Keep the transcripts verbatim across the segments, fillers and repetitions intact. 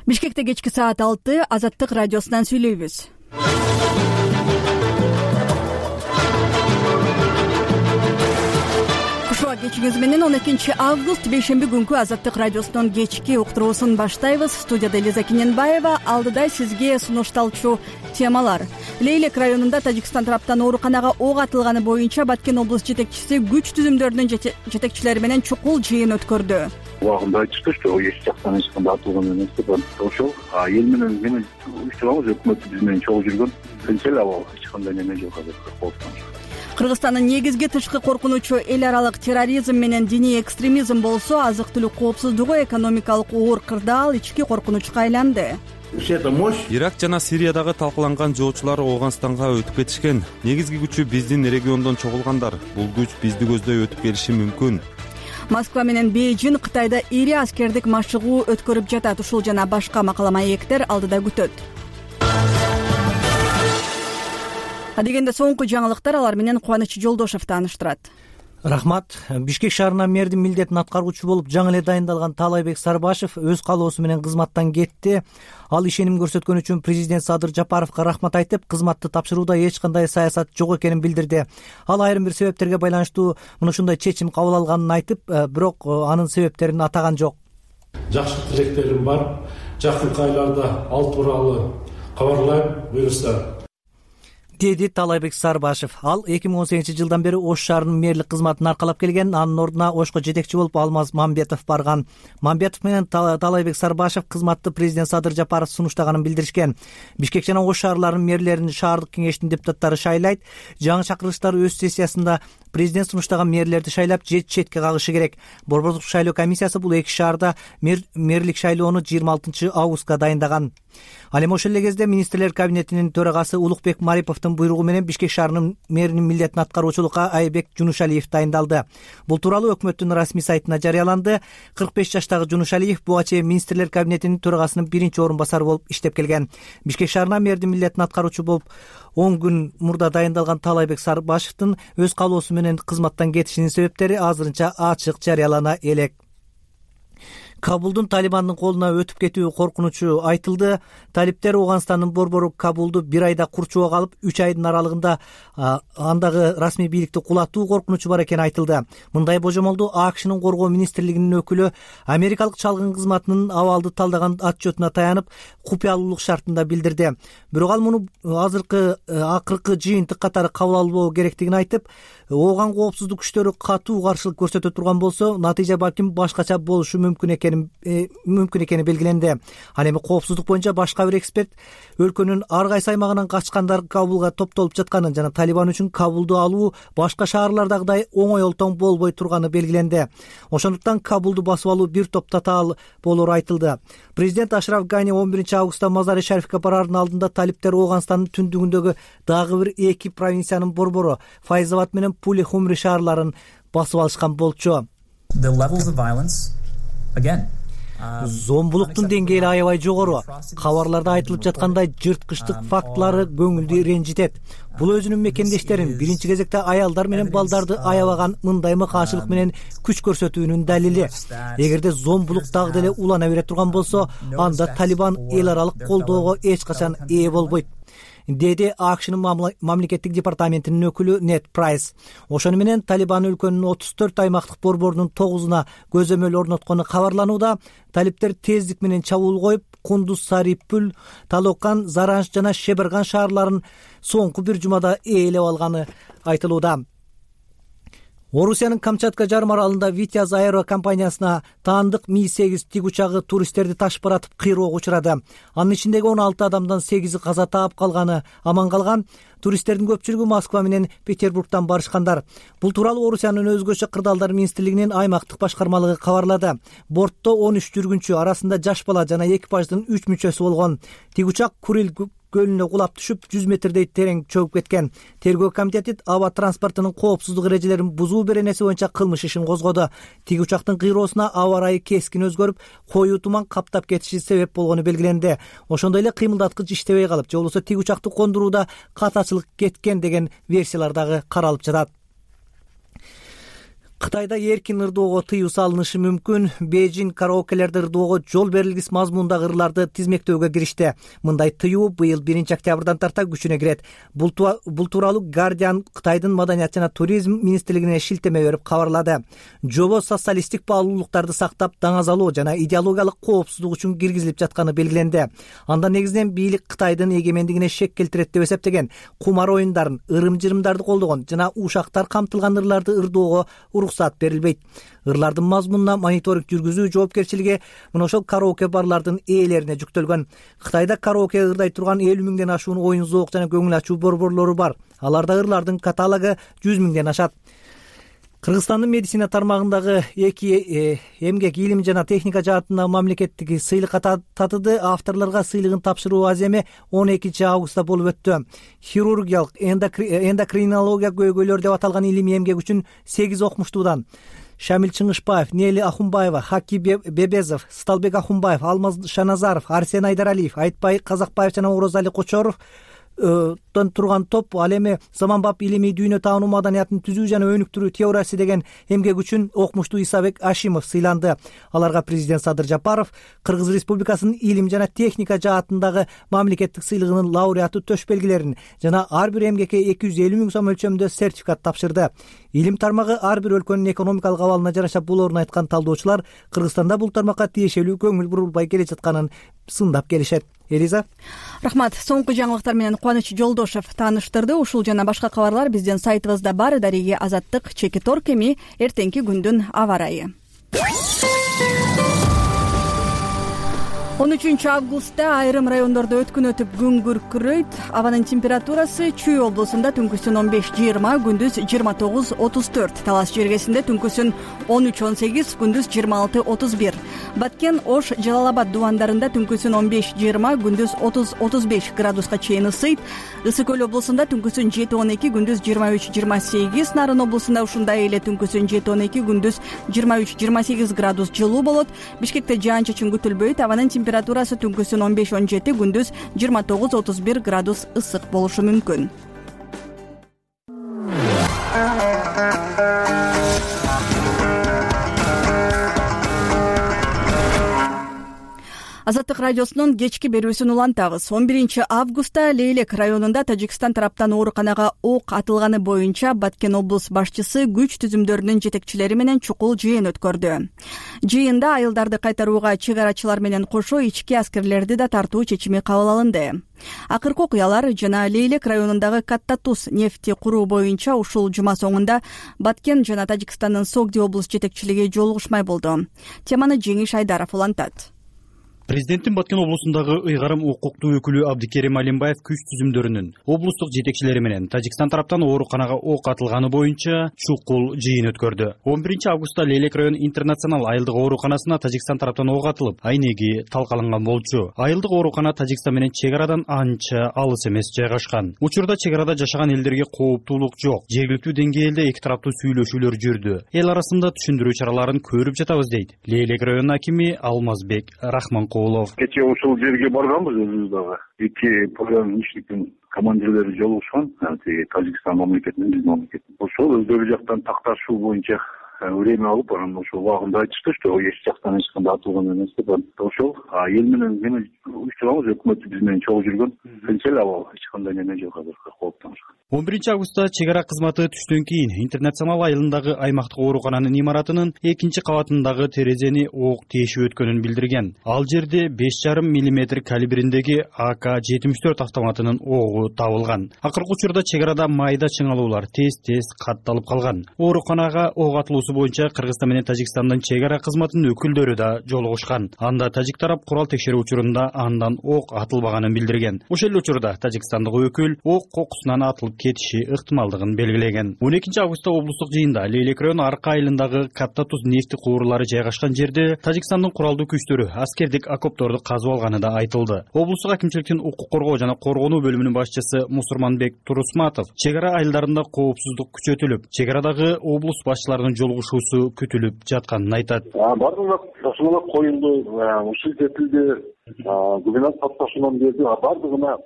Бишкекте кечки саат алты Азаттык радиосунан сүйлөйбүз. Кушуа кечиңиз менен он экинчи август бейшемби күнкү Азаттык радиосунун кечки уктуруусун баштайбыз. Студияда Элиза Кененбаева, алдыда сизге сунушталчу темалар. Лейлек районунда Тажикстан тараптан ооруканага ок атылганы боюнча Баткен облус жетекчиси күч түзүмдөрүнүн жетекчилери менен чукул жыйын өткөрдү. Убагында айтышты, что эч жактан эч кандай атылган эмес деп ошол эл менен менен уюштурабыз, өкмөт биз менен чогуу жүргөн. Тынчел абал, эч кандай неме жок азыр кооптон. Кыргызстандын негизги тышкы коркунучу эл аралык терроризм менен диний экстремизм болсо, азык-түлүк коопсуздугу, экономикалык оор кырдаал ички коркунучка айланды. Ирак жана Сириядагы талкаланган жоочулар Ооганстанга өтүп кетишкен. Негизги күчү биздин региондон чогулгандар. Бул күч бизди көздөй өтүп келиши мүмкүн. Москва менен Бейжин Кытайда ири аскердик машыгуу өткөрүп жатат. Ушул жана башка макала маектер алдыда күтөт. Адегенде соңку жаңылыктар, алар менен Кубаныч Жолдошев тааныштырат. Рахмат. Бишкек шаарына мэрдин милдетин аткаруучу болуп жаңы эле дайындалган Таалайбек Сарбашев өз каалоосу менен кызматтан кетти. Ал ишеним көрсөткөн үчүн президент Садыр Жапаровго рахмат айтып, кызматты тапшырууда эч кандай саясат жок экенин билдирди. Ал айрым бир себептерге байланыштуу мына ушундай чечим кабыл алганын айтып, бирок анын себептерин атаган жок. Жакшы тилектерим бар. Жакынкы айларда ал тууралуу кабарлайм, буюрса, деди Таалайбек Сарбашев. Ал эки миң он сегизинчи жылдан бери Ош шаарынын мэрлик кызматын аркалап келген. Анын ордуна Ошко жетекчи болуп Алмаз Мамбетов барган. Мамбетов менен Таалайбек Сарбашев кызматты президент Садыр Жапаров сунуштаганын билдиришкен. Бишкек жана Ош шаарларынын мэрлерин шаардык кеңештин депутаттары шайлайт. Жаңы чакырылыштар өз сессиясында президент сунуштаган мэрлерди шайлап, жет четке кагышы керек. Борбордук шайлоо комиссиясы бул эки шаарда мэрлик шайлоону жыйырма алтынчы августка дайындаган. Ал эми ошол эле кезде министрлер кабинетинин төрагасы Улукбек Мариповдун буйругу менен Бишкек шаарынын мэринин милдетин аткаруучулукка Айбек Жунушалиев дайындалды. Бул тууралуу өкмөттүн расмий сайтына жарыяланды. кырк беш жаштагы Жунушалиев буга чейин министрлер кабинетинин төрагасынын биринчи орун басары болуп иштеп келген. Бишкек шаарына мэрдин милдетин аткаруучу болуп он күн мурда дайындалган Таалайбек Сарбашевдин өз каалоосу менен кызматтан кетишинин себептери азырынча ачык жарыялана элек. Кабулдун Талибандын колуна өтүп кетүү коркунучу айтылды. Талиптер Ооганстандын борбору Кабулду бир айда курчуга алып, үч айдын аралыгында андагы расмий бийликти кулатуу коркунучу бар экени айтылды. Мындай божомолду АКШнын коргоо министрлигинин өкүлү америкалык чалгын кызматынын абалды талдаган отчетуна таянып, купуялуулук шартында билдирди. Бирок ал муну азыркы акыркы жыйынтык катары кабыл албоо керектигин айтып, Ооган коопсуздук күчтөрү катуу каршылык көрсөтө турган болсо, натыйжа балким башкача болушу мүмкүн экен мүмкүн экени белгиленди. Ал эми коопсуздук боюнча башка бир эксперт өлкөнүн ар кайсы аймагынан качкандар Кабулга топтолуп жатканын жана Талибан үчүн Кабулду алуу башка шаарлардагыдай оңой олтоң болбой турганы белгиленди. Ошондуктан Кабулду басып алуу бир топ татаал болору айтылды. Президент Ашраф Гани он биринчи августта Мазари Шарифке бараардын алдында талиптер Ооганстандын түндүгүндөгү дагы бир эки провинциянын борбору Файзабад менен Пули Хумри шаарларын басып алышкан болчу. Зомбулуктун деңгээли аябай жогору. Кабарларда айтылып жаткандай жырткычтык фактылары көңүлдү ренжитет. Бул өзүнүн мекендештерин, биринчи кезекте аялдар менен балдарды аябаган мындай мыкаачылык менен күч көрсөтүүнүн далили. Эгерде зомбулук дагы деле улана бере турган болсо, анда Талибан эл аралык колдоого эч качан ээ болбойт, деди АКШнын мамлекеттик департаментинин өкүлү Нет Прайс. Ошону менен Талибан өлкөнүн отуз төрт аймактык борборунун тогузуна көзөмөл орноткону кабарланууда. Талиптер тездик менен чабуул коюп, Кундуз, Сарипүл, Талокан, Заранж жана Шеберган шаарларын соңку бир жумада ээлеп алганы айтылууда. Орусиянын Камчатка жарым аралында Витяз аэро компаниясына таандык Ми сегиз тик учагы туристтерди ташып баратып кыйроого учурады. Анын ичиндеги он алты адамдан сегизи каза таап калганы аман калган. Туристтердин көпчүлүгү Москва менен Петербургтан барышкандар. Бул тууралуу Орусиянын өзгөчө кырдаалдар министрлигинин аймактык башкармалыгы кабарлады. Бортто он үч жүргүнчү, арасында жаш бала жана экипаждын үч мүчөсү болгон. Тик учак Курил көлүнө кулап түшүп, жүз метрдей терең чөгүп кеткен. Тергөө комитети аба транспортунун коопсуздук эрежелерин бузуу беренеси боюнча кылмыш ишин козгоду. Тик учактын кыйроосуна аба ырайы кескин өзгөрүп, коюу туман каптап кетиши себеп болгону белгиленди. Ошондой эле кыймылдаткыч иштебей калып, же болбосо тик учакты кондурууда катачылык кеткен деген версиялар дагы каралып жатат. Кытайда эркин ырдоого тыюу салынышы мүмкүн. Бейжин караокелерди ырдоого жол берилгис мазмундагы ырларды тизмектөөгө киришти. Мындай тыюу быйыл биринчи октябрдан тарта күчүнө кирет. Бул тууралуу Guardian Кытайдын маданият жана туризм министрлигине шилтеме берип кабарлады. Жобо социалисттик баалуулуктарды сактап, даңазалоо жана идеологиялык коопсуздук үчүн киргизилип жатканы белгиленди. Анда негизинен бийлик Кытайдын эгемендигине шек келтирет деп эсептеген, кумар оюндарын, ырым-жырымдарды колдогон жана ушактар камтылган ырларды ырдоого уруксат берилбейт. Ырлардын мазмунуна мониторинг жүргүзүү жоопкерчилиги мына ошол караоке барлардын ээлерине жүктөлгөн. Кытайда караоке ырдай турган элүү миңден ашуун оюн зоок жана көңүл ачуу борборлору бар. Аларда ырлардын каталогу жүз миңден ашат. Кыргызстандын медицина тармагындагы эки эмгек илим жана техника жаатындагы мамлекеттик сыйлыкка татыды. Авторлорго сыйлыгын тапшыруу аземи он экинчи августта болуп өттү. Хирургиялык эндокринология көйгөйлөр деп аталган илимий эмгек үчүн сегиз окумуштуудан Шамил Чыңышбаев, Нели Ахунбаева, Хаки Бебезов, Сталбек Ахунбаев, Алмаз Шаназаров, Арсен Айдаралиев, Айтбай Казакбаев жана Орозали Кочоров тон турган топ ал эми заманбап илимий дүйнө таануу маданиятын түзүү жана өнүктүрүү теориясы деген эмгек үчүн окумуштуу Исабек Ашимов сыйланды. Аларга президент Садыр Жапаров Кыргыз Республикасынын илим жана техника жаатындагы мамлекеттик сыйлыгынын лауреаты төш белгилерин жана ар бир эмгекке эки жүз элүү миң сом өлчөмүндө сертификат тапшырды. Илим тармагы ар бир өлкөнүн экономикалык абалына жараша болоорун айткан талдоочулар Кыргызстанда бул тармакка тиешелүү көңүл бурулбай келе жатканын сындап келишет. Элиза. Рахмат. Соңку жаңылыктар менен Кубаныч Жолдошев тааныштырды. Ушул жана башка кабарлар биздин сайтыбызда бар. Дариги Азаттык, Чеки Торк эми эртеңки күндүн аба ырайы. он үчүнчү августта айрым райондордо өткүн өтүп күн күркүрөйт. Абанын температурасы Чүй облусунда түнкүсүн он беш жыйырма, күндүз жыйырма тогуз отуз төрт. Талас жергесинде түнкүсүн он үч он сегиз, күндүз жыйырма алты отуз бир. Баткен, Ош, Жалал Абад дубандарында түнкүсүн он беш жыйырма, күндүз отуз отуз беш градуска чейин ысыйт. Ысык көл облусунда түнкүсүн жети он эки, күндүз жыйырма үч жыйырма сегиз. Нарын облусунда ушундай эле түнкүсүн жети он эки, күндүз жыйырма үч жыйырма сегиз градус жылуу болот. Бишкекте жаан-чачын күтүлбөйт. Абанын температурасы түнкүсүн он беш он жети, күндүз жыйырма тогуз отуз бир градус ысык болушу мүмкүн. Азаттык радиосунун кечки берүүсүн улантабыз. он биринчи августта Лейлек районунда Тажикстан тараптан ооруканага ок атылганы боюнча Баткен облус башчысы күч түзүмдөрүнүн жетекчилери менен чукул жыйын өткөрдү. Жыйында айылдарды кайтарууга чек арачылар менен кошо ички аскерлерди да тартуу чечими кабыл алынды. Акыркы окуялар жана Лейлек районундагы Катта Туз нефти куруу боюнча ушул жума соңунда Баткен жана Тажикстандын Согди облус жетекчилиги жолугушмай болду. Теманы Жеңиш Айдаров улантат. Президенттин Баткен облусундагы ыйгарым укуктуу өкүлү Абдикерим Алимбаев күч түзүмдөрүнүн облустук жетекчилери менен Тажикстан тараптан ооруканага ок атылганы боюнча чукул жыйын өткөрдү. он биринчи августта Лейлек район интернационал айылдык ооруканасына Тажикстан тараптан ок атылып, айнеги талкаланган болчу. Айылдык оорукана Тажикстан менен чек арадан анча алыс эмес жайгашкан. Учурда чек арада жашаган элдерге кооптуулук жок. Жергиликтүү деңгээлде эки тараптуу сүйлөшүүлөр жүрдү. Эл арасында түшүндүрүү чараларын көрүп жатабыз дейт Лейлек районунун акими Алмазбек Рахман. Кечээ ушул жерге барганбыз өзүбүз дагы. Эки пограничниктин командирлери жолугушкан, тиги Тажикстан мамлекетинин, биздин мамлекеттин. Ошол өздөрү жактан такташуу боюнча время алып, анан ошол убагында айтышты, что эч жактан эч кандай атылган эмес деп. Ошол эл менен мени уюштурабыз, өкмөт биз менен чогуу жүргөн. Тынчел абал, эч кандай неме жок азыркы кооптонушка. он биринчи августта чек ара кызматы түштөн кийин интернационал айылындагы аймактык оорукананын имаратынын экинчи кабатындагы терезени ок тешип өткөнүн билдирген. Ал жерде беш жарым миллиметр калибриндеги А К жетимиш төрт автоматынын огу табылган. Акыркы учурда чек арада майда чыңалуулар тез-тез катталып калган. Ооруканага ок атылуусу боюнча Кыргызстан менен Тажикстандын чек ара кызматынын өкүлдөрү да жолугушкан. Анда тажик тарап курал текшерүү учурунда андан ок атылбаганын билдирген. Ошол эле учурда тажикстандык өкүл ок кокусунан атылып кетиши ыктымалдыгын белгилеген. он экинчи августта облустук жыйында Лейлек району арка айылындагы Катта Туз нефти куурулары жайгашкан жерде Тажикстандын куралдуу күчтөрү аскердик окопторду казып алганы да айтылды. Облустук акимчиликтин укук коргоо жана коргонуу бөлүмүнүн башчысы Мусурманбек Турусматов чек ара айылдарында коопсуздук күчөтүлүп, чек арадагы облус башчыларынын жолугушуусу күтүлүп жатканын айтат. Бардыгына ташуулар коюлду, ушул жетилди, губернатор татташууну берди, бардыгына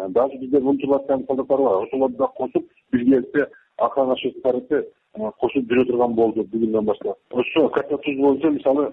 даже бизде мунчулар солдаттар бар, ошолорду да кошуп биргеликте ата-ана шарты кошуп жүрө турган болду бүгүндөн баштап. Ошо Катта Туз боюнча мисалы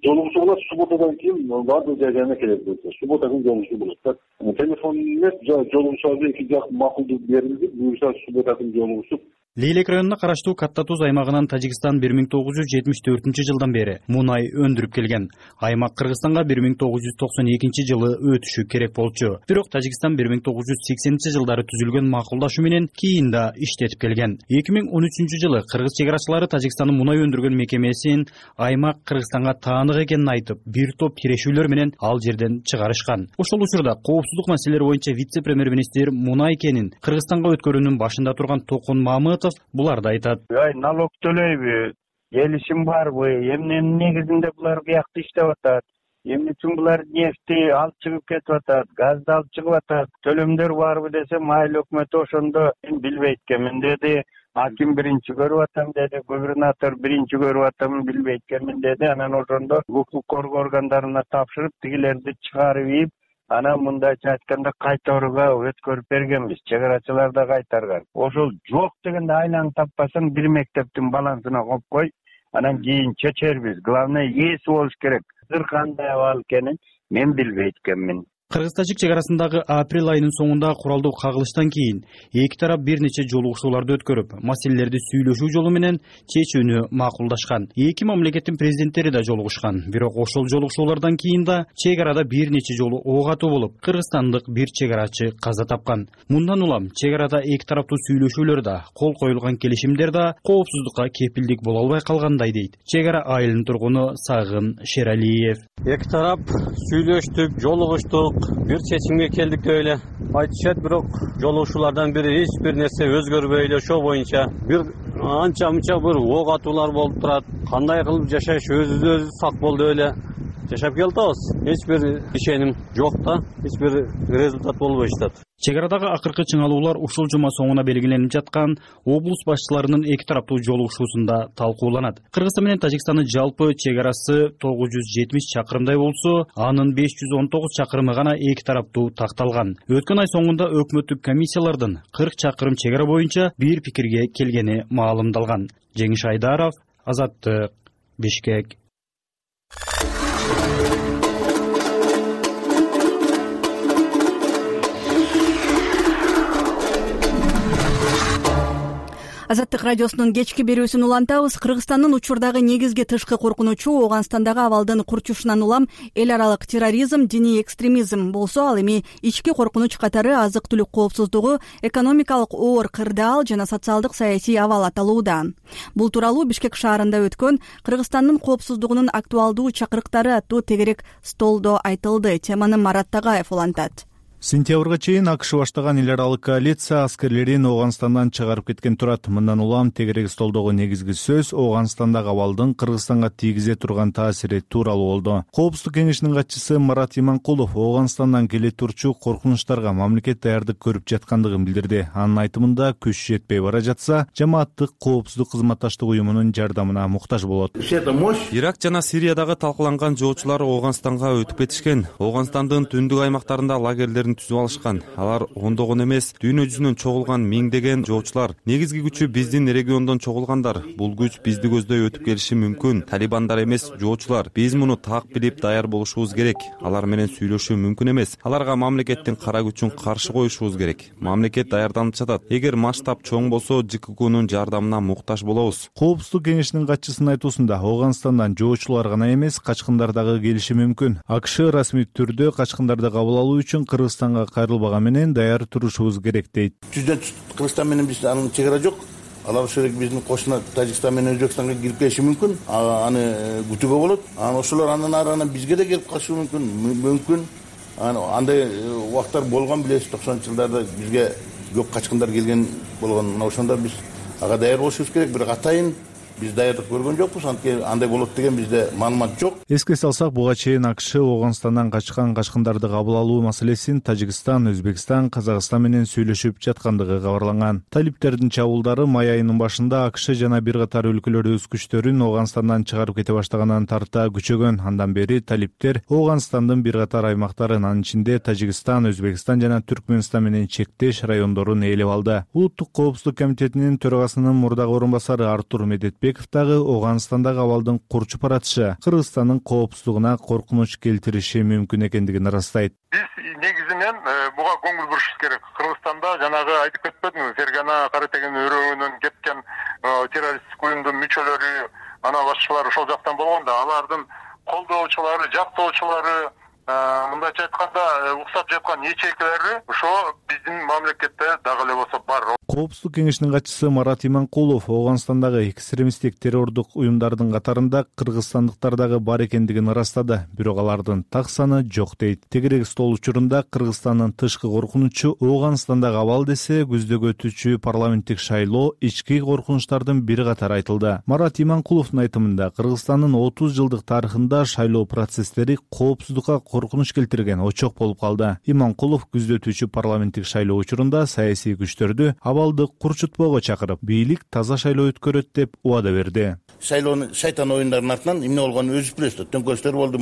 жолугушуу болот, субботадан кийин баардык жайдарына келет. Суббота күнү жолугушуу болот. Телефон эмес, жолугушууга эки жак макулдук берилди. Буюрса суббота күнү жолугушуп. Лейлек районуна караштуу Катта Туз аймагынан Тажикстан бир миң тогуз жүз жетимиш төртүнчү жылдан бери мунай өндүрүп келген. Аймак Кыргызстанга бир миң тогуз жүз токсон экинчи жылы өтүшү керек болчу. Бирок Тажикстан бир миң тогуз жүз сексенинчи жылдары түзүлгөн макулдашуу менен кийин да иштетип келген. эки миң он үчүнчү жылы кыргыз чек арачылары Тажикстандын мунай өндүргөн мекемесин аймак Кыргызстанга таанык экенин айтып, бир топ тирешүүлөр менен ал жерден чыгарышкан. Ошол учурда коопсуздук маселелери боюнча вице-премьер-министр мунай кенин Кыргызстанга өткөрүүнүн башында турган Токун Мамытов буларды айтат. Ай, налог төлөйбү? Келишим барбы? Эмненин негизинде булар биякта иштеп атат? Эмне үчүн булар нефти алып чыгып кетип атат? Газды алып чыгып атат? Төлөмдөр барбы десем, айыл өкмөтү ошондо мен билбейт экенмин деди. Аким биринчи көрүп атам деди, губернатор биринчи көрүп атам, билбейт экенмин деди. Анан ошондо укук коргоо органдарына тапшырып, тигилерди чыгарып ийип, анан мындайча айтканда кайтарууга өткөрүп бергенбиз. Чек арачылар да кайтарган. Ошол жок дегенде айланы таппасаң бир мектептин балансына коюп кой, анан кийин чечербиз. Главное ээси болуш керек. Азыр кандай абал экенин мен билбейт экенмин. Кыргыз-тажик чек арасындагы апрель айынын соңунда куралдуу кагылыштан кийин эки тарап бир нече жолугушууларды өткөрүп, маселелерди сүйлөшүү жолу менен чечүүнү макулдашкан. Эки мамлекеттин президенттери да жолугушкан. Бирок ошол жолугушуулардан кийин да чек арада бир нече жолу ок атуу болуп, кыргызстандык бир чек арачы каза тапкан. Мындан улам чек арада эки тараптуу сүйлөшүүлөр да, кол коюлган келишимдер да коопсуздукка кепилдик боло албай калгандай дейт чек ара айылынын тургуну Сагын Шералиев. Эки тарап сүйлөштүк, жолугуштук, бир чечимге келдик деп эле айтышат, бирок жолугушуулардан бири эч бир нерсе өзгөрбөй эле ошол боюнча бир анча мынча бир ок атуулар болуп турат. Кандай кылып жашаш, өзүбүз сак бол деп эле жашап келатабыз. Эч бир ишеним жок да, эч бир результат болбой жатат. Чек арадагы акыркы чыңалуулар ушул жума соңуна белгиленип жаткан облус башчыларынын эки тараптуу жолугушуусунда талкууланат. Кыргызстан менен Тажикстандын жалпы чек арасы тогуз жүз жетимиш чакырымдай болсо, анын беш жүз он тогуз чакырымы гана эки тараптуу такталган. Өткөн ай соңунда өкмөттүк комиссиялардын кырк чакырым чек ара боюнча бир пикирге келгени маалымдалган. Жеңиш Айдаров, Азаттык, Бишкек. Азаттык радиосунун кечки берүүсүн улантабыз. Кыргызстандын учурдагы негизги тышкы коркунучу Ооганстандагы абалдын курчушунан улам эл аралык терроризм, диний экстремизм болсо, ал эми ички коркунуч катары азык-түлүк коопсуздугу, экономикалык оор кырдаал жана социалдык саясий абал аталууда. Бул тууралуу Бишкек шаарында өткөн Кыргызстандын коопсуздугунун актуалдуу чакырыктары аттуу тегерек столдо айтылды. Теманы Марат Тагаев улантат. Сентябрга чейин АКШ баштаган эл аралык коалиция аскерлерин Ооганстандан чыгарып кеткен турат. Мындан улам тегерек столдогу негизги сөз Ооганстандагы абалдын Кыргызстанга тийгизе турган таасири тууралуу болду. Коопсуздук кеңешинин катчысы Марат Иманкулов Ооганстандан келе турчу коркунучтарга мамлекет даярдык көрүп жаткандыгын билдирди. Анын айтымында күч жетпей бара жатса, жамааттык коопсуздук кызматташтык уюмунун жардамына муктаж болот. Ирак жана Сириядагы талкаланган жоочулар Ооганстанга өтүп кетишкен. Ооганстандын түндүк аймактарында лагерлер түзүп алышкан. Алар ондогон эмес, дүйнө жүзүнөн чогулган миңдеген жоочулар. Негизги күчү биздин региондон чогулгандар. Бул күч бизди көздөй өтүп келиши мүмкүн. Талибандар эмес, жоочулар. Биз муну так билип даяр болушубуз керек. Алар менен сүйлөшүү мүмкүн эмес. Аларга мамлекеттин кара күчүн каршы коюшубуз керек. Мамлекет даярданып жатат. Эгер масштаб чоң болсо, ЖККнун жардамына муктаж болобуз. Коопсуздук кеңешинин катчысынын айтуусунда Ооганстандан жоочулар гана эмес, качкындар дагы келиши мүмкүн. АКШ расмий түрдө качкындарды кабыл алуу үчүн Кыргызстанга кайрылбаган менен даяр турушубуз керек дейт. Жүздөн Кыргызстан менен биз анын чек ара жок. Алар ошол биздин кошуна Тажикстан менен Өзбекстанга кирип келиши мүмкүн. Аны күтүүгө болот. Анан ошолор андан ары анан бизге да келип калышы мүмкүн. Мүмкүн. Андай убактар болгон билесиз, токсонунчу жылдарда бизге көп качкындар келген болгон. Мына ошондо биз ага даяр болушубуз керек. Бирок атайын биз даярдык көргөн жокпуз, анткени андай болот деген бизде маалымат жок. Эске салсак, буга чейин АКШ Ооганстандан качкан качкындарды кабыл алуу маселесин Тажикстан, Өзбекстан, Казакстан менен сүйлөшүп жаткандыгы кабарланган. Талиптердин чабуулдары май айынын башында АКШ жана бир катар өлкөлөр өз күчтөрүн Ооганстандан чыгарып кете баштагандан тарта күчөгөн. Андан бери талиптер Ооганстандын бир катар аймактарын, анын ичинде Тажикстан, Өзбекстан жана Түркмөнстан менен чектеш райондорун ээлеп алды. Улуттук коопсуздук комитетинин төрагасынын мурдагы орун басары Артур Медетбеков дагы Ооганстандагы абалдын курчуп баратышы Кыргызстандын коопсуздугуна коркунуч келтириши мүмкүн экендигин ырастайт. Биз негизинен буга көңүл бурушубуз керек. Кыргызстанда жанагы айтып кетпедимби, Фергана Кара Теген өрөөгүнөн кеткен террористтик уюмдун мүчөлөрү, ана башчылары ошол жактан болгондо, алардын колдоочулары, жактоочулары, мындайча айтканда уксап жаткан ячейкалары ошо биздин мамлекетте дагы эле болсо бар. Коопсуздук кеңешинин катчысы Марат Иманкулов Ооганстандагы экстремисттик террордук уюмдардын катарында кыргызстандыктар дагы бар экендигин ырастады. Бирок алардын так саны жок дейт. Тегерек стол учурунда Кыргызстандын тышкы коркунучу Ооганстандагы абал десе, күздөгү өтүүчү парламенттик шайлоо ички коркунучтардын бири катары айтылды. Марат Иманкуловдун айтымында Кыргызстандын отуз жылдык тарыхында шайлоо процесстери коопсуздукка коркунуч келтирген очок болуп калды. Иманкулов күздө өтүүчү парламенттик шайлоо учурунда саясий күчтөрдү абалды курчутпоого чакырып, бийлик таза шайлоо өткөрөт деп убада берди. Шайлоону шайтан оюндарынын артынан эмне болгонун өзү билесиз. Төңкөрүштөр болду,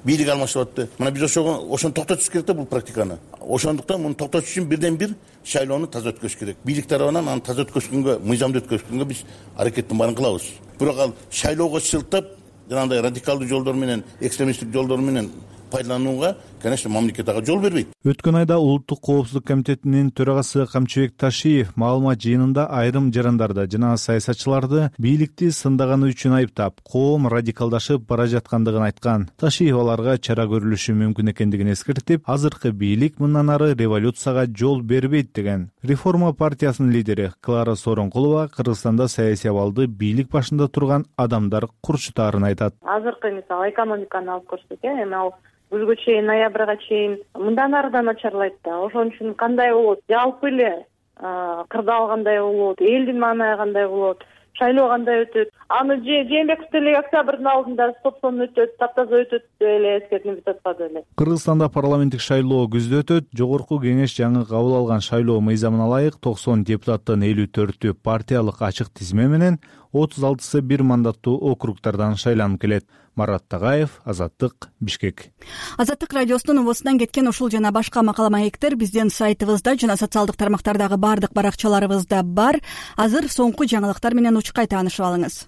бийлик алмашып атты. Мына биз ошого ошону токтотуш керек да, бул практиканы. Ошондуктан муну токтотуш үчүн бирден бир шайлоону таза өткөрүш керек. Бийлик тарабынан аны таза өткөрүшкөнгө, мыйзамды өткөрүшкөнгө биз аракеттин баарын кылабыз. Бирок ал шайлоого шылтап, жанагындай радикалдуу жолдор менен, экстремисттик жолдор менен пайдаланууга, конечно, мамлекет ага жол бербейт. Өткөн айда Улуттук коопсуздук комитетинин төрагасы Камчыбек Ташиев маалымат жыйынында айрым жарандарды жана саясатчыларды бийликти сындаганы үчүн айыптап, коом радикалдашып бара жаткандыгын айткан. Ташиев аларга чара көрүлүшү мүмкүн экендигин эскертип, азыркы бийлик мындан ары революцияга жол бербейт деген. Реформа партиясынын лидери Клара Сооронкулова Кыргызстанда саясий абалды бийлик башында турган адамдар курчутаарын айтат. Азыркы мисалы экономиканы алып көрсөк, эми ал күзгө чейин, ноябрга чейин мындан ары да начарлайт да. Ошон үчүн кандай болот? Жалпы эле кырдаал кандай болот? Элдин маанайы кандай болот? Шайлоо кандай өтөт? Аны Жээнбеков деле октябрдын алдында стоп-сон өтөт, таптаза өтөт деп эле эскертип жатпады эле. Кыргызстанда парламенттик шайлоо күздө өтөт. Жогорку кеңеш жаңы кабыл алган шайлоо мыйзамына ылайык токсон депутаттын элүү төртү партиялык ачык тизме менен, отуз алтысы бир мандаттуу округдардан шайланып келет. Марат Тагаев, Азаттык, Бишкек. Азаттык радиосунун убосунан кеткен ушул жана башка макала маектер биздин сайтыбызда жана социалдык тармактардагы бардык баракчаларыбызда бар. Азыр соңку жаңылыктар менен учкай таанышып алыңыз.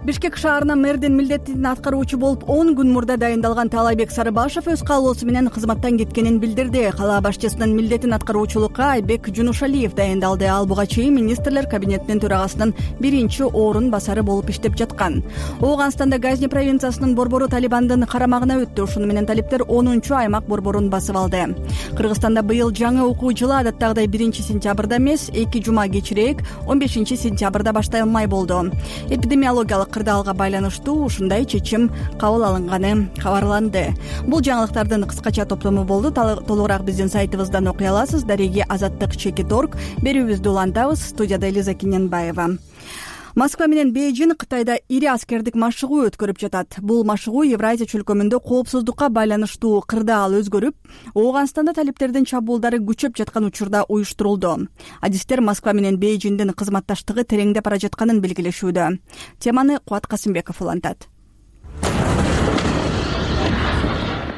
Бишкек шаарына мэрдин милдетин аткаруучу болуп он күн мурда дайындалган Таалайбек Сарыбашев өз каалоосу менен кызматтан кеткенин билдирди. Кала башчысынын милдетин аткаруучулукка Айбек Жунушалиев дайындалды. Ал буга чейин министрлер кабинетинин төрагасынын биринчи орун басары болуп иштеп жаткан. Ооганстанда Газни провинциясынын борбору Талибандын карамагына өттү. Ушуну менен талиптер онунчу аймак борборун басып алды. Кыргызстанда быйыл жаңы окуу жылы адаттагыдай биринчи сентябрда эмес, эки жума кечирээк он бешинчи сентябрда башталмай болду. Эпидемиологиялык кырдаалга байланыштуу ушундай чечим кабыл алынганы кабарланды. Бул жаңылыктардын кыскача топтому болду. Толугураак биздин сайтыбыздан окуй аласыз. Дареги азаттык чекит точка орг. Берүүбүздү улантабыз. Студияда Элиза Киненбаева. Москва менен Бейжин Кытайда ири аскердик машыгуу өткөрүп жатат. Бул машыгуу Евразия чөлкөмүндө коопсуздукка байланыштуу кырдаал өзгөрүп, Ооганстанда талиптердин чабуулдары күчөп жаткан учурда уюштурулду. Адистер Москва менен Бейжиндин кызматташтыгы тереңдеп бара жатканын белгилешүүдө. Теманы Кубат Касымбеков улантат.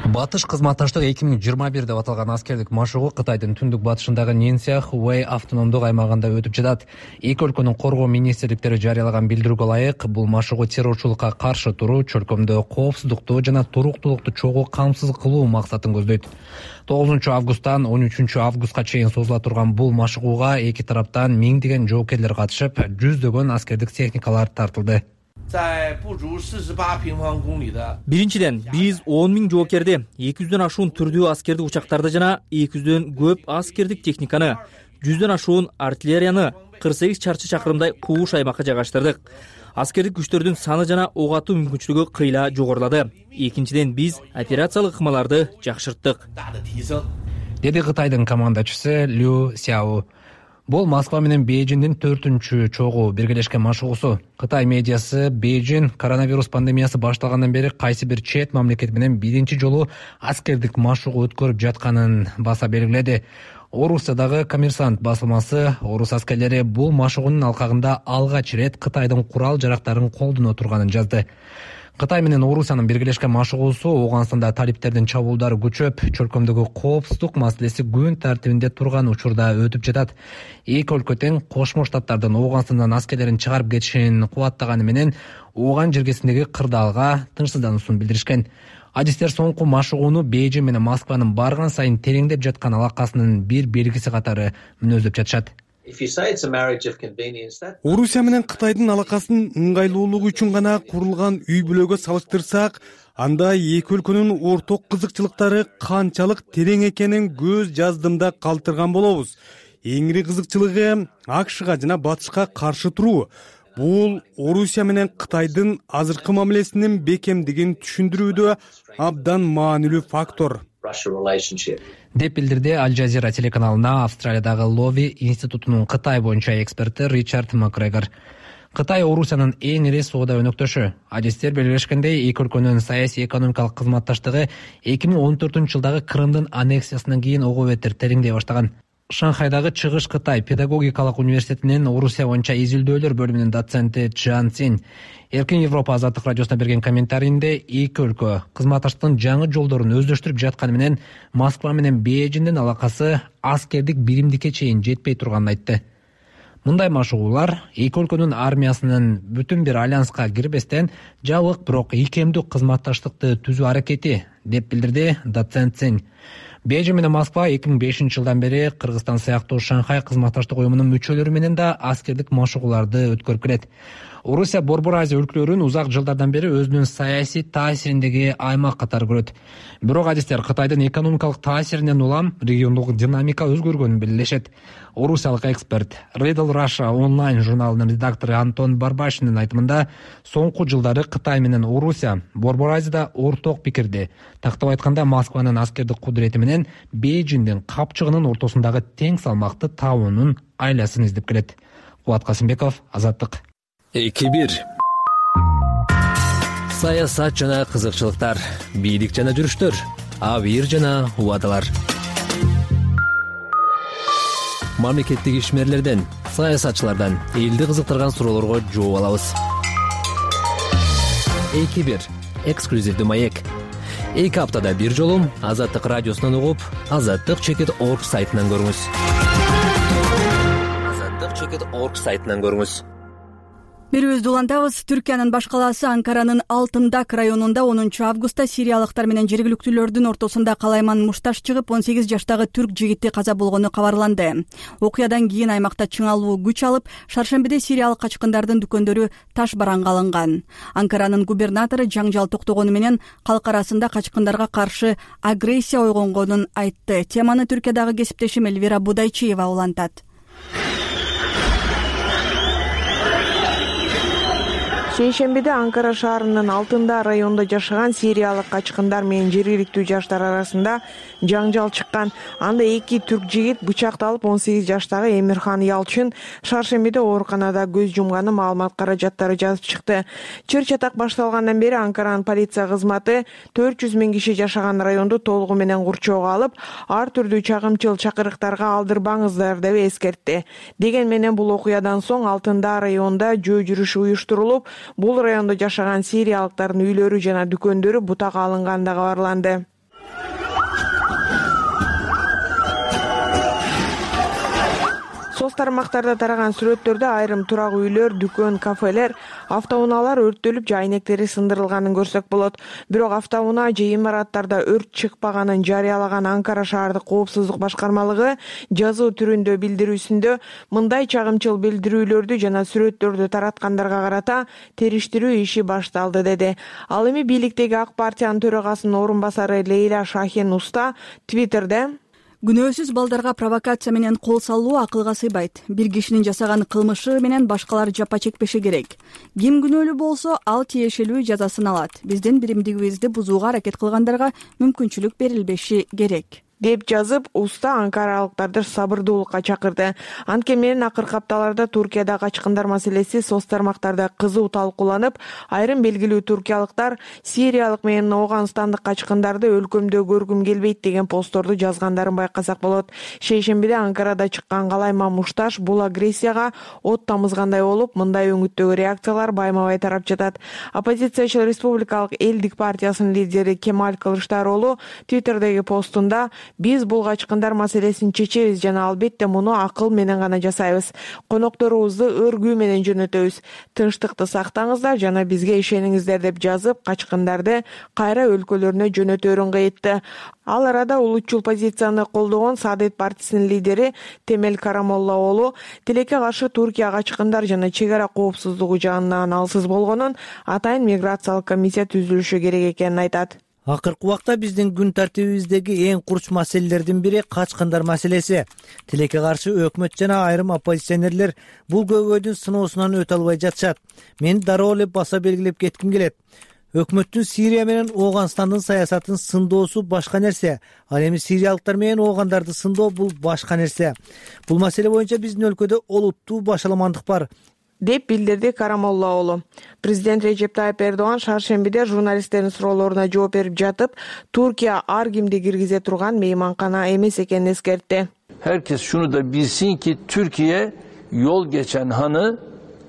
Батыш кызматташтык эки миң жыйырма бир деп аталган аскердик машыгуу Кытайдын түндүк батышындагы Нинсия Хувей автономдук аймагында өтүп жатат. Эки өлкөнүн коргоо министрликтери жарыялаган билдирүүгө ылайык, бул машыгуу террорчулукка каршы туруу, чөлкөмдө коопсуздукту жана туруктуулукту чогуу камсыз кылуу максатын көздөйт. тогузунчу августтан он үчүнчү августка чейин созула турган бул машыгууга эки тараптан миңдеген жоокерлер катышып, жүздөгөн аскердик техникалар тартылды. Биринчиден, биз он миң жоокерди, эки жүздөн ашуун түрдүү аскердик учактарды жана эки жүздөн көп аскердик техниканы, жүздөн ашуун артиллерияны кырк сегиз чарчы чакырымдай кууш аймакка жайгаштырдык. Аскердик күчтөрдүн саны жана ок атуу мүмкүнчүлүгү кыйла жогорулады. Экинчиден, биз операциялык ыкмаларды жакшырттык, деди Кытайдын командачысы Лю Сяо. Бул Москва менен Бейжиңдин төртүнчү чогуу биргелешкен машыгуусу. Кытай медиасы Бейжиң коронавирус пандемиясы башталгандан бери кайсы бир чет мамлекет менен биринчи жолу аскердик машыгуу өткөрүп жатканын баса белгиледи. Орусиядагы Коммерсант басылмасы орус аскерлери бул машыгуунун алкагында алгач ирет Кытайдын курал жарактарын колдоно турганын жазды. Кытай менен Орусиянын биргелешкен машыгуусу Ооганстанда талиптердин чабуулдары күчөп, чөлкөмдөгү коопсуздук маселеси күн тартибинде турган учурда өтүп жатат. Эки өлкө тең Кошмо Штаттардын Ооганстандан аскерлерин чыгарып кетишин кубаттаганы менен Ооган жергесиндеги кырдаалга тынчсыздануусун билдиришкен. Адистер соңку машыгууну Бейжиң менен Москванын барган сайын тереңдеп жаткан алакасынын бир белгиси катары мүнөздөп жатышат. Орусия менен Кытайдын алакасынын ыңгайлуулугу үчүн гана курулган үй бүлөгө салыштырсак, анда эки өлкөнүн орток кызыкчылыктары канчалык терең экенин көз жаздымда калтырган болобуз. Эң ири кызыкчылыгы АКШга жана Батышка каршы туруу. Бул Орусия менен Кытайдын азыркы мамилесинин бекемдигин түшүндүрүүдө абдан маанилүү фактор деп билдирди Аль Жазира телеканалына Австралиядагы Лови институтунун Кытай боюнча эксперти Ричард Макгрегор. Кытай Орусиянын эң ири соода өнөктөшү. Адистер белгилешкендей, эки өлкөнүн саясий экономикалык кызматташтыгы эки миң он төртүнчү жылдагы Крымдын аннексиясынан кийин ого бетер тереңдей баштаган. Шанхайдагы Чыгыш Кытай педагогикалык университетинин Орусия боюнча изилдөөлөр бөлүмүнүн доценти Чжан Цин Эркин Европа азаттык радиосуна берген комментарийинде эки өлкө кызматташтыктын жаңы жолдорун өздөштүрүп жатканы менен Москва менен Бейжиңдин алакасы аскердик биримдикке чейин жетпей турганын айтты. Мындай машыгуулар эки өлкөнүн армиясынын бүтүн бир альянска кирбестен жабык, бирок ийкемдүү кызматташтыкты түзүү аракети деп билдирди доцент Цин. Бейжиң менен Москва эки миң бешинчи жылдан бери Кыргызстан сыяктуу Шанхай кызматташтык уюмунун мүчөлөрү менен да аскердик машыгууларды өткөрүп келет. Орусия Борбор Азия өлкөлөрүн узак жылдардан бери өзүнүн саясий таасириндеги аймак катары көрөт. Бирок адистер Кытайдын экономикалык таасиринен улам региондук динамика өзгөргөнүн белгилешет. Орусиялык эксперт Riddle Russia онлайн журналынын редактору Антон Барбашинин айтымында, соңку жылдары Кытай менен Орусия Борбор Азияда орток пикирди. Тактап айтканда, Москванын аскердик кудурети менен Бейжиңдин капчыгынын ортосундагы тең салмакты табуунун айласын издеп келет. Кубат Касымбеков, Азаттык. эки бир Саясат жана кызыкчылыктар, бийлик жана жүрүштөр, абийир жана убадалар. Мамлекеттик ишмерлерден, саясатчылардан элди кызыктырган суроолорго жооп алабыз. эки бир эксклюзивдүү маек. Эки аптада бир жолу Азаттык радиосунан угуп, азаттык чекит орг сайтынан көрүңүз. азаттык чекит орг сайтынан көрүңүз. Берүүбүздү улантабыз. Түркиянын баш калаасы Анкаранын Алтындак районунда онунчу августта сириялыктар менен жергиликтүүлөрдүн ортосунда калайман мушташ чыгып, он сегиз жаштагы түрк жигити каза болгону кабарланды. Окуядан кийин аймакта чыңалуу күч алып, шаршембиде сириялык качкындардын дүкөндөрү таш бараңга алынган. Анкаранын губернатору жаңжал токтогону менен калк арасында качкындарга каршы агрессия ойгонгонун айтты. Теманы Түркиядагы кесиптешим Эльвира Будайчиева улантат. Шейшембиде Анкара шаарынын Алтында районунда жашаган сириялык качкындар менен жергиликтүү жаштар арасында жаңжал чыккан. Анда эки түрк жигит бычакталып, он сегиз жаштагы Эмирхан Ялчын шаршембиде ооруканада көз жумганы маалымат каражаттары жазып чыкты. Чыр-чатак башталгандан бери Анкаранын полиция кызматы төрт жүз миң киши жашаган районду толугу менен курчоого алып, ар түрдүү чагымчыл чакырыктарга алдырбаңыздар деп эскертти. Деген менен бул окуядан соң Алтында районунда жөө жүрүшү уюштурулуп, бул райондо жашаган сириялыктардын үйлөрү жана дүкөндөрү бутакка алынганы кабарланды. Соц тармактарда тараган сүрөттөрдө айрым турак үйлөр, дүкөн, кафелер, автоунаалар өрттөлүп, жайнектери сындырылганын көрсөк болот. Бирок автоунаа же имараттарда өрт чыкпаганын жарыялаган Анкара шаардык коопсуздук башкармалыгы жазуу түрүндө билдирүүсүндө мындай чагымчыл билдирүүлөрдү жана сүрөттөрдү тараткандарга карата териштирүү иши башталды деди. Ал эми бийликтеги ак партиянын төрагасынын орун басары Лейла Шахин Уста Твиттерде: Күнөөсүз балдарга провокация менен кол салуу акылга сыйбайт. Бир кишинин жасаган кылмышы менен башкалар жапа чекпеши керек. Ким күнөөлүү болсо, ал тиешелүү жазасын алат. Биздин биримдигибизди бузууга аракет кылгандарга мүмкүнчүлүк берилбеши керек. деп жазып, уста анкаралыктарды сабырдуулукка чакырды. Анткени менен акыркы апталарда Туркияда качкындар маселеси соц тармактарда кызуу талкууланып, айрым белгилүү туркиялыктар сириялык менен ооганстандык качкындарды өлкөмдө көргүм келбейт деген постторду жазгандарын байкасак болот. Шейшембиде Анкарада чыккан калайма мушташ бул агрессияга от тамызгандай болуп, мындай өңүттөгү реакциялар байма-бай тарап жатат. Оппозициячыл Республикалык элдик партиясынын лидери Кемаль Кылычдароğlu Twitterдеги постунда: «Биз бул качкындар маселесин чечебиз жана албетте муну акыл менен гана жасайбыз. Конокторубузду өргүү менен жөнөтөбүз. Тынчтыкты сактаңыздар жана бизге ишениңиздер» деп жазып, качкындарды кайра өлкөлөрүнө жөнөтөөрүн кыйытты. Ал арада улутчул позицияны колдогон Саадет партисинин лидери Темел Карамоллаоğlu тилекке каршы Туркия качкындар жана чек ара коопсуздугу жагынан алсыз болгонун, атайын миграциялык комиссия түзүлүшү керек экенин айтат. Акыркы убакта биздин күн тартибибиздеги эң курч маселелердин бири качкындар маселеси. Тилекке каршы өкмөт жана айрым оппозиционерлер бул көйгөйдүн сыноосунан өтө албай жатышат. Мен дароо эле баса белгилеп кетким келет. Өкмөттүн Сирия менен Ооганстандын саясатын сындоосу башка нерсе. Ал эми сириялыктар менен оогандарды сындоо бул башка нерсе. Бул маселе боюнча биздин өлкөдө олуттуу башаламандык бар, деп билдирди Карамоллаоğlu. Президент Режеп Тайып Эрдоган шаршембиде журналисттердин суроолоруна жооп берип жатып, Туркия ар кимди киргизе турган мейманкана эмес экенин эскертти. Herkes şunu da bilsin ki Türkiye yol geçen hanı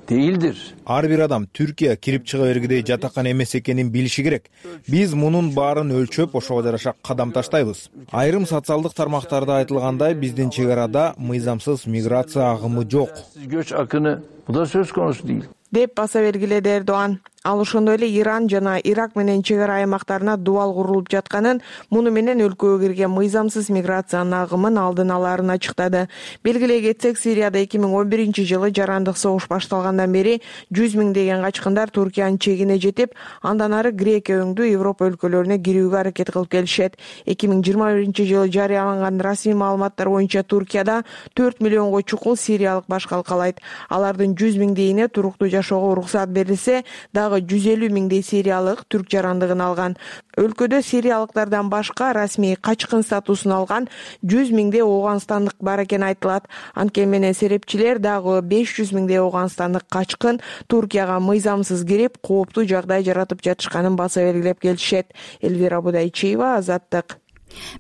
değildir. Ар бир адам Түркия кирип чыга бергидей жатакан эмес экенин билиши керек. Биз мунун баарын өлчөп, ошого жараша кадам таштайбыз. Айрым социалдык тармактарда айтылгандай, биздин чек арада мыйзамсыз миграция агымы жок. Göç akını bu da söz konusu değil. деп баса бергиледи Эрдоган. Ал ошондой эле Иран жана Ирак менен чек ара аймактарына дубал курулуп жатканын, муну менен өлкөгө кирген мыйзамсыз миграциянын агымын алдын алаарын ачыктады. Белгилей кетсек, Сирияда эки миң он биринчи жылы жарандык согуш башталгандан бери жүз миңдеген качкындар Туркиянын чегине жетип, андан ары Грекия өңдүү Европа өлкөлөрүнө кирүүгө аракет кылып келишет. эки миң жыйырма биринчи жылы жарыяланган расмий маалыматтар боюнча Туркияда төрт миллионго чукул сириялык баш калкалайт. Алардын жүз миңдейине туруктуу жашоого уруксат берилсе, дагы жүз элүү миңдей сириялык түрк жарандыгын алган. Өлкөдө сириялыктардан башка расмий качкын статусун алган жүз миңдей ооганстандык бар экени айтылат. Анткени менен серепчилер дагы беш жүз миңдей ооганстандык качкын Туркияга мыйзамсыз кирип, кооптуу жагдай жаратып жатышканын баса белгилеп келишет. Элвира Будайчиева, Азаттык.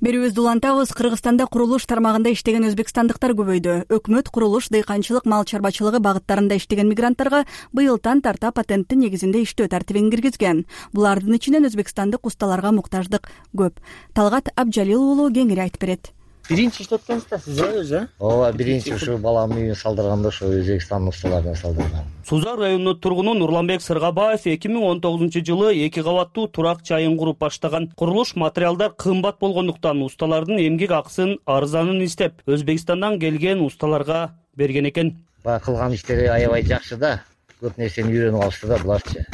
Берүүбүздү улантабыз. Кыргызстанда курулуш тармагында иштеген өзбекстандыктар көбөйдү. Өкмөт курулуш, дыйканчылык, мал чарбачылыгы багыттарында иштеген мигранттарга быйылдан тарта патенттин негизинде иштөө тартибин киргизген. Булардын ичинен өзбекстандык усталарга муктаждык көп. Талгат Абжалил уулу кеңири айтып берет. Биринчи иштеп экенсиз сиз өзү? Ооба, биринчи ушу баламдын үйүн салдырганда ошо Өзбекстандын усталарынан салдырган. Сузак районунун тургуну Нурланбек Сыргабаев эки миң он тогузунчу жылы эки кабаттуу турак жайын куруп баштаган. Курулуш материалдар кымбат болгондуктан усталардын эмгек акысын арзанын издеп, Өзбекстандан келген усталарга берген экен. Баягы кылган иштери аябай жакшы да. Көп нерсени үйрөнүп алышты да буларчы.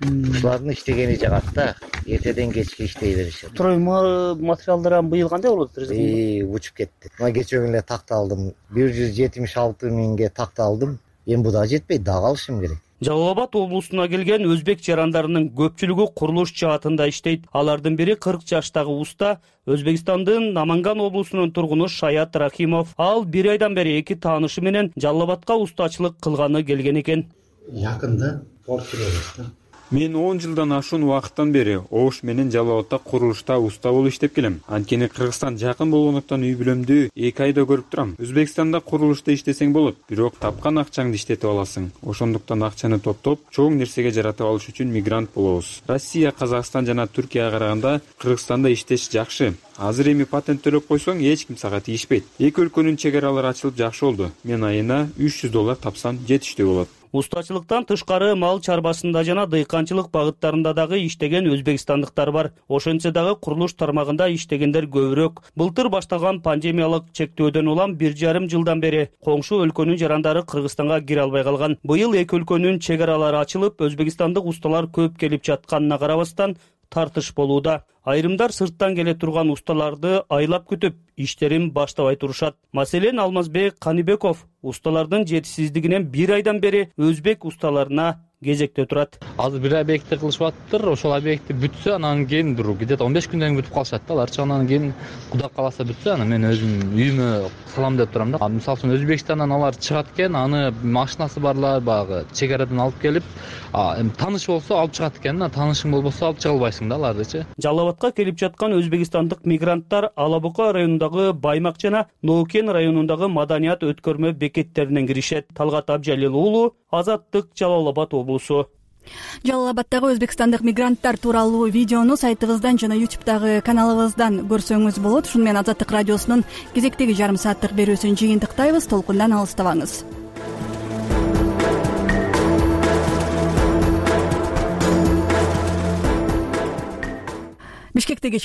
Ушулардын иштегени жагат да, эртеден кечке иштей беришет. Стройма материалдар быйыл кандай болот? Эй, учуп кетти. Мына кечээ күнү эле такта алдым. бир жүз жетимиш алты миңге такта алдым. Эми бул да жетпейт, дагы алышым керек. Жалал Абад облусуна келген өзбек жарандарынын көпчүлүгү курулуш жаатында иштейт. Алардын бири кырк жаштагы уста, Өзбекстандын Наманган облусунун тургуну Шаят Рахимов. Ал бир айдан бери эки таанышы менен Жалал Абадка устачылык кылганы келген экен. Жакында портфелебиз да. Мен он жылдан ашуун убакыттан бери Ош менен Жалал Абадта курулушта уста болуп иштеп келем. Анткени Кыргызстан жакын болгондуктан үй бүлөмдү эки айда көрүп турам. Өзбекстанда курулушта иштесең болот, бирок тапкан акчаңды иштетип аласың. Ошондуктан акчаны топтоп, чоң нерсеге жаратып алыш үчүн мигрант болобуз. Россия, Казакстан жана Түркияга караганда Кыргызстанда иштеш жакшы. Азыр эми патент төлөп койсоң, эч ким сага тийишпейт. Эки өлкөнүн чек аралары ачылып жакшы болду. Мен айына үч жүз доллар тапсам жетиштүү болот. Устачылыктан тышкары мал чарбасында жана дыйканчылык багыттарында дагы иштеген өзбекстандыктар бар. Ошентсе дагы курулуш тармагында иштегендер көбүрөөк. Былтыр башталган пандемиялык чектөөдөн улам бир жарым жылдан бери коңшу өлкөнүн жарандары Кыргызстанга кире албай калган. Быйыл эки өлкөнүн чек аралары ачылып, өзбекстандык усталар көп келип жатканына карабастан тартыш болууда. Айрымдар сырттан келе турган усталарды айлап күтүп, иштерин баштабай турушат. Маселен, Алмазбек Каныбеков усталардын жетишсиздигинен бир айдан бери өзбек усталарына кезекте турат. Азыр бир объектти кылышып атыптыр. Ошол объекти бүтсө, анан кийин бир где-то он беш күндөн кийин бүтүп калышат да аларчы. Анан кийин Кудай кааласа бүтсө, анан мен өзүм үйүмө салам деп турам да. Мисалы үчүн Өзбекстандан алар чыгат экен, аны машинасы барлар баягы чек арадан алып келип, эми тааныш болсо алып чыгат экен, таанышың болбосо алып чыга албайсың да алардычы. Жалал Абадка келип жаткан өзбекстандык мигранттар Ала Бука районундагы Баймак жана Ноукен районундагы маданият өткөрмө бекеттеринен киришет. Талгат Абжалил уулу, Азаттык, Жалал Абад облусу. Жалал Абадтагы өзбекстандык мигранттар тууралуу видеону сайтыбыздан жана ютубтагы каналыбыздан көрсөңүз болот. Ушуну менен Азаттык радиосунун кезектеги жарым сааттык берүүсүн жыйынтыктайбыз. Толкундан алыстабаңыз. Бишкектеги